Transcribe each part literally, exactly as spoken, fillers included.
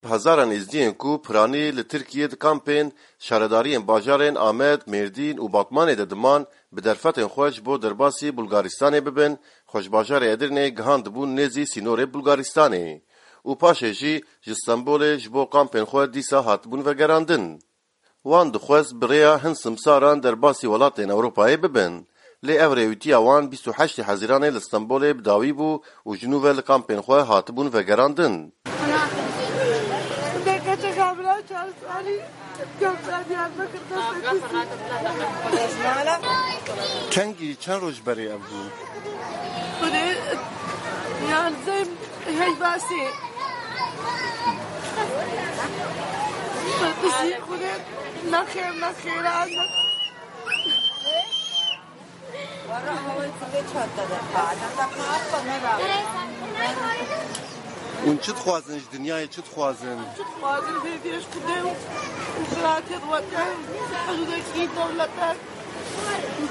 Hezaran êzdiyên ku piranî li Tirkiyê di kampên şaredariyên bajarên Amed, Mêrdîn û Batmanê de diman, bi derfetên xwe ji bo derbasî Bulgaristanê bibin, xwe ji bajarê Edirneyê gihandibûn nêzî sînorê Bulgaristanê û paşê jî ji Stenbolê ji bo kampên xwe dîsa hatibûn vegerandin. Wan dixwest bi rêya hin simsaran derbasî welatên Ewropayê bibin. Lê ev rêwîtiya wan bîst û heştê Hezîranê li Stenbolê bi dawî bû û ji nû ve li kampên xwe hatibûn vegerandin. Kengî çend roj berê ev bû? Xwedê, yan zem, hey basê. Xwedê, nexêr, nexêr, anne. Hûn çi dixwazin ji dinyayê, çi dixwazin? Çi dixwazin, hêviyê ji Xwedê û, û biratê wete, hizûrekî dewlete.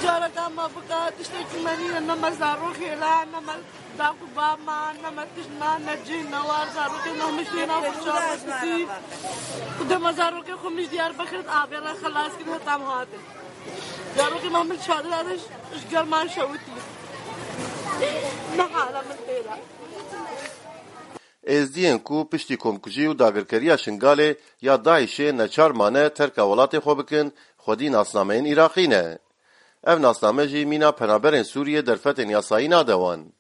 Careka me bika, tiştekî me nîne, ne me zarokê la, ne me daq û ba me, ne me tişt me, ne cih, ne war, zarokê me hemî têna xurşa me pisî. Xwedê me zarokê xwe min ji Diyarbekir avê re xelas kir, heta em hatin. Zarokê me min çadira de ji, ji german şewitî. Ne hala min têra. Êzdiyên ku piştî komkujî û dagirkeriya Şingalê ya DAIŞê neçar mane terka welatê xwe bikin, xwedî nasnameyên Iraqî ne. Ev nasname jî mîna penaberên Sûriyê derfetên yasayî nade wan.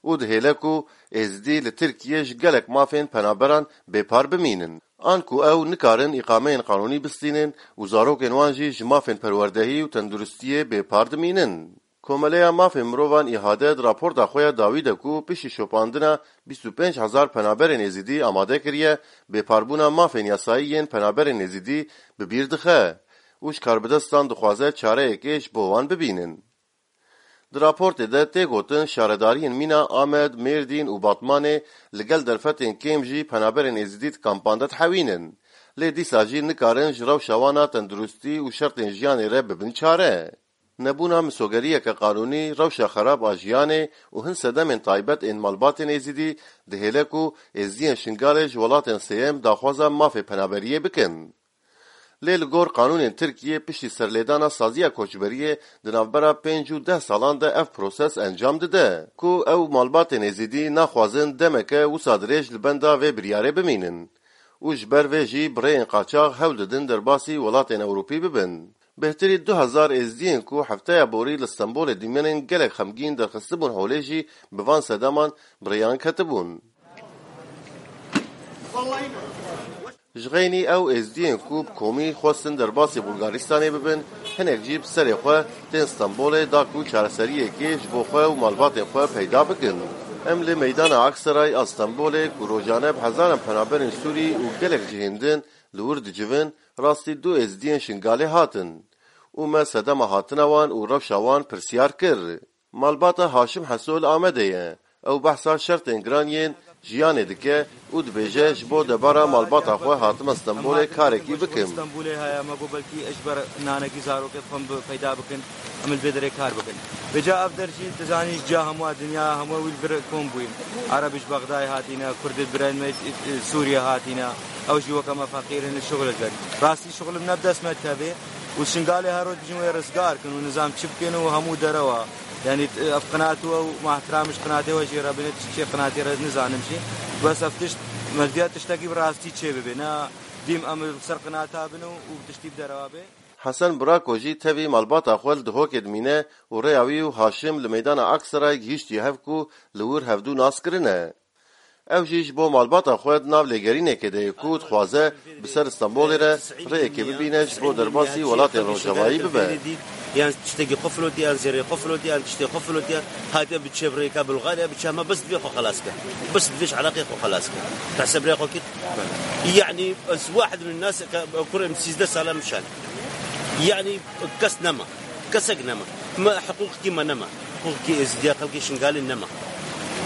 Û dihêle ku Êzidî li Tirkiyê ji gelek mafên penaberan bêpar bimînin. An ku ew nikarin îqameyên qanûnî bistînin û zarokên wan jî ji mafên perwerdehî û tenduristiyê bêpar dimînin. Komeleya Mafên Mirovan, ÎHD, di raporta xwe ya dawî de ku piştî şopandina bîst û pênc hezar penaberên Êzidî amade kiriye, bêparbûna mafên yasayî yên penaberên Êzidî bi bîr dixe û ji karbidestan dixwaze çareyekê ji bo wan bibînin. Di raportê de tê gotin, şaredariyên mîna Amed, Mêrdîn û Batmanê li gel derfetên kêm jî penaberên Êzidî di kampan de dihewînin. Lê dîsa jî nikarin ji rewşa wan a tenduristî û şertên jiyanê re bibin çare. Nebûna misogeriyeke qanûnî, rewşa xerab a jiyanê û hin sedemên taybet ên malbatên Êzidî dihêle ku Êzidiyên Şingalê ji welatên sêyem daxwaza mafê penaberiyê bikin. Lê li gor qanûnên Tirkiyê piştî serlêdana saziya koçberiyê di navbera pênc û deh salan de ev proses encam dide, ku ew malbatên Êzidî naxwazin demeke wisa dirêj li benda vê biryarê bimînin û ji ber vê jî bi rêyên qaçax hewl didin derbasî welatên Ewropî bibin. Bêhtirî du hezar Êzidiyên ku hefteya borî li Stenbolê dimînin gelek xemgîn derxistibûn holê jî bi van sedeman bi rêyan ketibûn. Ji xeynî ew Êzidiyên ku bi komî xwestin derbasî Bulgaristanê bibin, hinek jî bi serê xwe tên Stenbolê da ku çareseriyekê ji bo xwe û malbatên xwe peyda bikin. Em li meydana Aksaray a Stenbolê ku rojane bi hezaran penaberên Sûrî û gelek cihên din li wir dicivin, rastî du Êzidiyên Şingalê hatin û me sedema hatina wan û rewşa wan pirsiyar kir. Malbata Haşim Heso li Amedê ye. Ew behsa şertên giran yên jiyanê dike û dibêje, ji bo debara malbata xwe hatime Stenbolê karekî bikim. Stenbolê heye, me got belkî ji ber nanekî zarokê xwe em bi peyda bikin, em li vê derê kar bikin. Vêca ev der jî, tu zanî, ji ciya hemû dinya, hemû wî li vir kom bûyî. Ereb ji Bexdayê hatîne, Kurd li birên me, e, e, Sûriye hatîne. Ew jî weke me feqîr in, şixul dikin. Rastî şixul ne bi dest me tevê. Û Şingalê her roj dijin wê rizgar kin û nizam çi bikin û hemû derewa. Yanî, ev qinat we û ma ihtiram ji qinatê we jê re bine, çi çê qinatê re nizanim jî. Bes ev tişt, mevdiya tiştekî bi rastî çê bibe. Ne dîm em li ser qinata bin û, û tiştî bi derewa bê. Hesen Burako jî tevî malbata xwe li Dihokê dimîne û rêya wî û Haşim li meydana Aksaray gihîştiye hev ku li wir hevdû nas kirine. Ew jî ji bo malbata xwe di nav lêgerînekê de ye ku dixwaze bi ser Stenbolê re rêyekê bibîne ji bo derbasî welatên Rojavayî bibe. Yan tiştekî xwe filotiye, yan zêrê xwe filotiye, yan tiştê xwe filotiye. Hatiye bi çê bi rêka Bulgarya, bi çe me bes divê xwe xelas ke. Bes divê ji Iraqê xwe xelas ke. Te sebrê xwe kir. Yani ez wahid min nas ke kurê min sîzdeh sala min şan. Yani kes nema. Kesek nema. Me hiqûqekî me nema. Hiqûqekî Êzidiya xelkê Şingalê nema.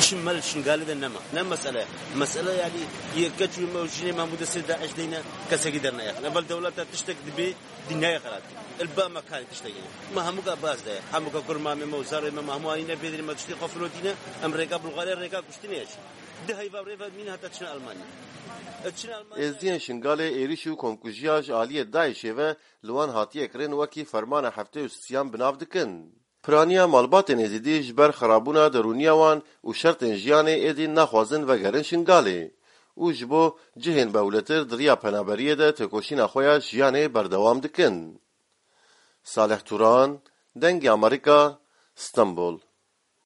Çi me li Şingalê de nema. Ne mesele. Mesele yani yê keç û me û jinê me hemû destê DAIŞ deyne, kesekî derneyaxin. Evel dewleta tiştek dibê dinyayê xelat. Li ba me kanê tiştek. Me hemûka baz de. Hemûka kurmamê me û zarê me, me hemû anîne bêdinê me tiştê xwe filotîne. Em rêka Bulgarya, rêka kuştinê ye jî. Di heyva rê ve mîn heta çin Almanya. Çin Almanya. Êzdiyên Şingalê êrîş û komkujiya ji aliyê DAIŞê ve li wan hatiye kirin wekî fermana heftê û sisiyan bi nav dikin. Piraniya malbatên Êzidî ji ber xirabûna derûniya wan û şertên jiyanê êdî naxwazin vegerin Şingalê û ji bo cihên bewletir di riya penaberiyê de têkoşîna xwe ya jiyanê berdewam dikin. Salih Turan, Dengê Amerîka, Stenbol.